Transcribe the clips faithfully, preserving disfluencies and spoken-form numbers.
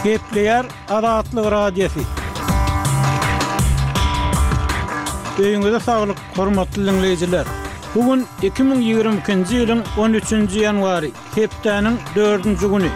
Gepleýär Azatlyk Radiosy. Öýüňize saglyk, hormatly diňleýjiler! Bu gün iki müň ýigrimi ikinji ýylyň on üçünji ýanwary, hepdäniň dördünji güni.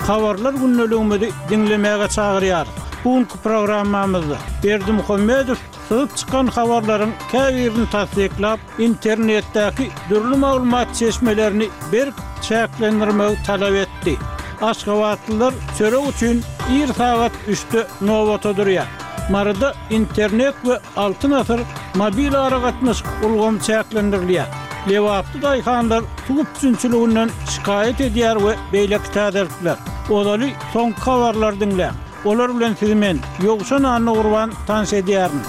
Habarlar gündeligimizi diňlemäge çagyrýarys. Bu günki programmamyzda Berdimuhamedow syzyp çykan habarlaryň käbirini tassyklap, internetdäki dürli maglumat çeşmelerini berk çäklendirmegi talap etdi. Aşgabatlylar çörek üçin ir sagat üçde nobata durýar. Maryda internet we Altyn asyr mobil aragatnaşyk ulgamy çäklendirilýär. Lebaply daýhanlar suw üpjünçiliginden şikaýat edýär we beýleki täzelikler. Ozaly soňky habarlary diňläň. Olar bilen sizi men, Ýowşan Annagurban tanyş edýärin.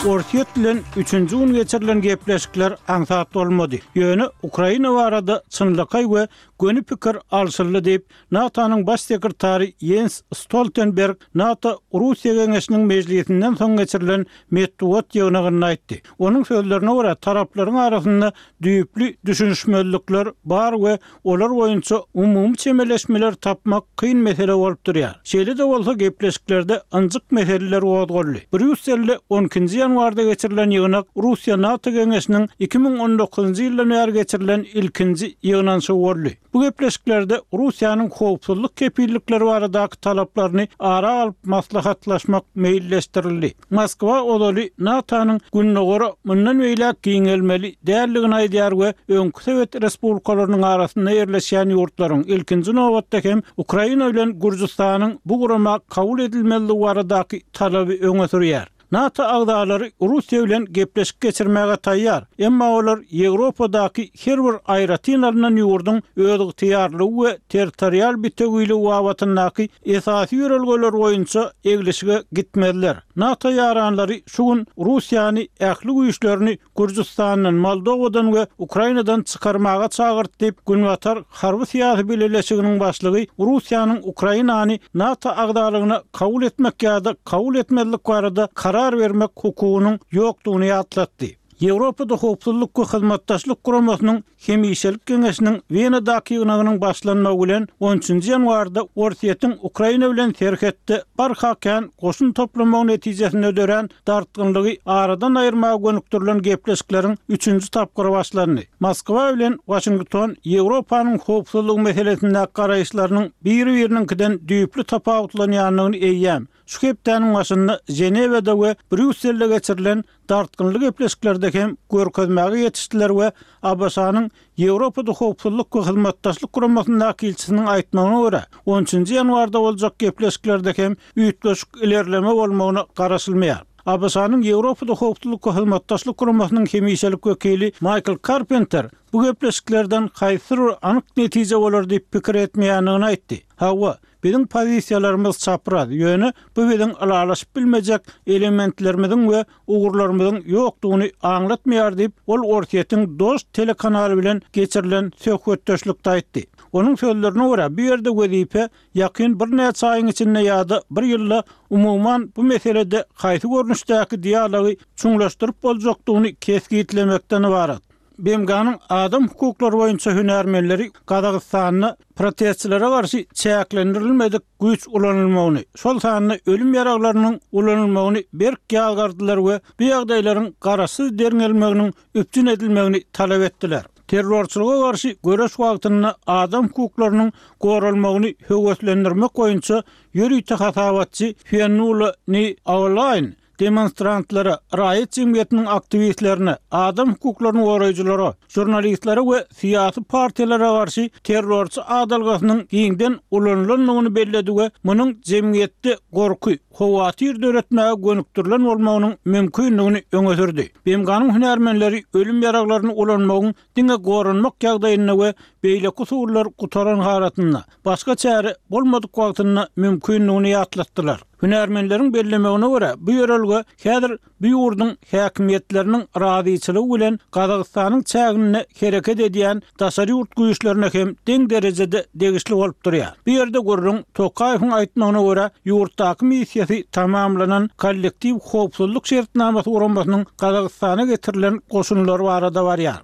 Orsýet bilen üçünji gün geçirilen gepleşikler aňsat bolmady. Ýöne Ukraina barada çynlakaý we göni pikir alşyldy diýip, NATO-nyň Baş sekretary Ýens Stoltenberg NATO-Russiýa geňeşiniň mejlisinden soň geçirilen metbugat ýygnagynda aýtdy. Onuň sözlerine görä, taraplaryň arasynda düýpli düşünişmezlikler bar we olar boýunça umumy çemeleşmeleri tapmak kyn mesele bolup durýar. Şeýle-de bolsa, gepleşiklerde ynjyk meseleler gozgaldy. Brýusselde on ikinji ýanwarda geçirilen ýygnak Russiýa-NATO geňeşiniň iki müň on dokuzynjy ýyldan bäri geçirilen ilkinji ýygnanyşygy boldy. Bu gepleşiklerde Russiýanyň howpsuzlyk kepillikleri baradaky talaplaryny ara alyp maslahatlaşmak meýilleşdirildi. Moskwa ozaly NATO-nyň Gündogara mundan beýläk giňelmeli däldigini aýdýar we öňki sowet respublikalarynyň arasynda ýerleşýän ýurtlaryň, ilkinji nobatda hem Ukraina bilen Gürjüstanyň bu gurama kabul edilmezligi baradaky talaby öňe sürýär. NATO agzalary Russiýa bilen gepleşik geçirmäge taýýar, emma olar Ýewropadaky her bir aýratyn alnan ýurduň özygtyýarlygy we territorial bitewiligi babatyndaky esasy ýörelgeler boýunça eglişige gitmezler. NATO ýaranlary şu gün Russiýany ähli güýçlerini Gürjüstandan, Moldowadan we Ukrainadan çykarmaga çagyrdy diýip, Günbatar harby-syýasy bileleşiginiň başlygy Russiýanyň Ukrainany NATO agzalygyna kabul etmek ýa-da kabul etmezlik barada karar bermek hukugynyň ýokdugyny ýatlatdy. Ýewropada Howpsuzlyk we Hyzmatdaşlyk Guramasynyň Hemişelik Geňeşiniň Wenadaky ýygnagynyň başlanmagy bilen on üçünji ýanwarda Orsýetiň Ukraina bilen serhetde barha kän goşun toplamagy netijesinde dörän dartgynlygy aradan aýyrmaga gönükdirilen gepleşikleriň üçünji tapgyry başlandy. Moskwa bilen Waşington Ýewropanyň howpsuzlygy meselesindäki garaýyşlarynyň biri-biriniňkiden düýpli tapawutlanýandygyny eýýäm şu hepdäniň başynda Ženewada we Brýusselde geçirilen dartgynly gepleşiklerde hem görkezmäge ýetişdiler we A B Ş-nyň Ýewropada Howpsuzlyk we Hyzmatdaşlyk Guramasyndaky ilçisiniň aýtmagyna görä, on üçünji ýanwarda boljak gepleşiklerde hem üýtgeşik ilerleme bolmagyna garaşylmaýar. A B Ş-nyň Ýewropada Howpsuzlyk we Hyzmatdaşlyk Guramasynyň hemişelik wekili Maýkl Karpenter bu gepleşiklerden haýsydyr bir anyk netije bolar diýip pikir etmeýändigini aýtdy. Hawa, biziň pozisiýalarymyz çapraz, ýöne bu biziň ylalaşyp bilmejek elementlerimiziň we ugurlarymyzyň ýokdugyny aňlatmaýar diýip, ol Orsýetiň Dožd telekanaly bilen geçirilen söhbetdeşlikde aýtdy. Onuň sözlerine görä, bu ýerde wezipe ýakyn birnäçe aýyň içinde ýa-da bir ýylda umuman bu meselede haýsy görnüşdäki dialogy çuňlaşdyryp boljakdygyny kesgitlemekden ybarat. B M G-nyň adam hukuklary boýunça hünärmenleri Gazagystanda protestçilere garşy çäklendirilmedik güýç ulanylmagyny, şol sanda ölüm ýaraglarynyň ulanylmagyny berk ýazgardylar we bu ýagdaýlaryň garaşsyz derňelmeginiň üpjün edilmegini talap etdiler. Terrorçylyga garşy göreş wagtynda adam hukuklarynyň goralmagyny höweslendirmek boýunça ýörite hasabatçy Fionnula Ni Aolaýn demonstrantlara, raýat jemgyýetiniň aktiwistlerine, adam hukuklaryny goraýjylara, žurnalistlere we syýasy partiýalara garşy terrorçy adalgasynyň giňden ulanylandygyny belledi we munuň jemgyýetde gorky, howatyr döretmäge gönükdirilen bolmagynyň mümkindigini öňe sürdi. B M G-nyň hünärmenleri ölüm ýaraglaryny ulanmagyň diňe goranmak ýagdaýynda we beýleki usullar gutaran halatynda, başga çäre bolmadyk wagtynda mümkindigini ýatlatdylar. Hünärmenleriň bellemegine görä, bu ýörelge häzir bu ýurduň häkimiýetleriniň razyçylygy bilen Gazagystanyň çäginde hereket edýän daşary ýurt güýçlerine hem deň derejede degişli bolup durýar. Bu ýerde gürrüň Tokaýewiň aýtmagyna görä, ýurtdaky missiýasy tamamlanan kollektiw howpsuzlyk şertnamasy guramasynyň Gazagystana getirilen goşunlary barada barýar.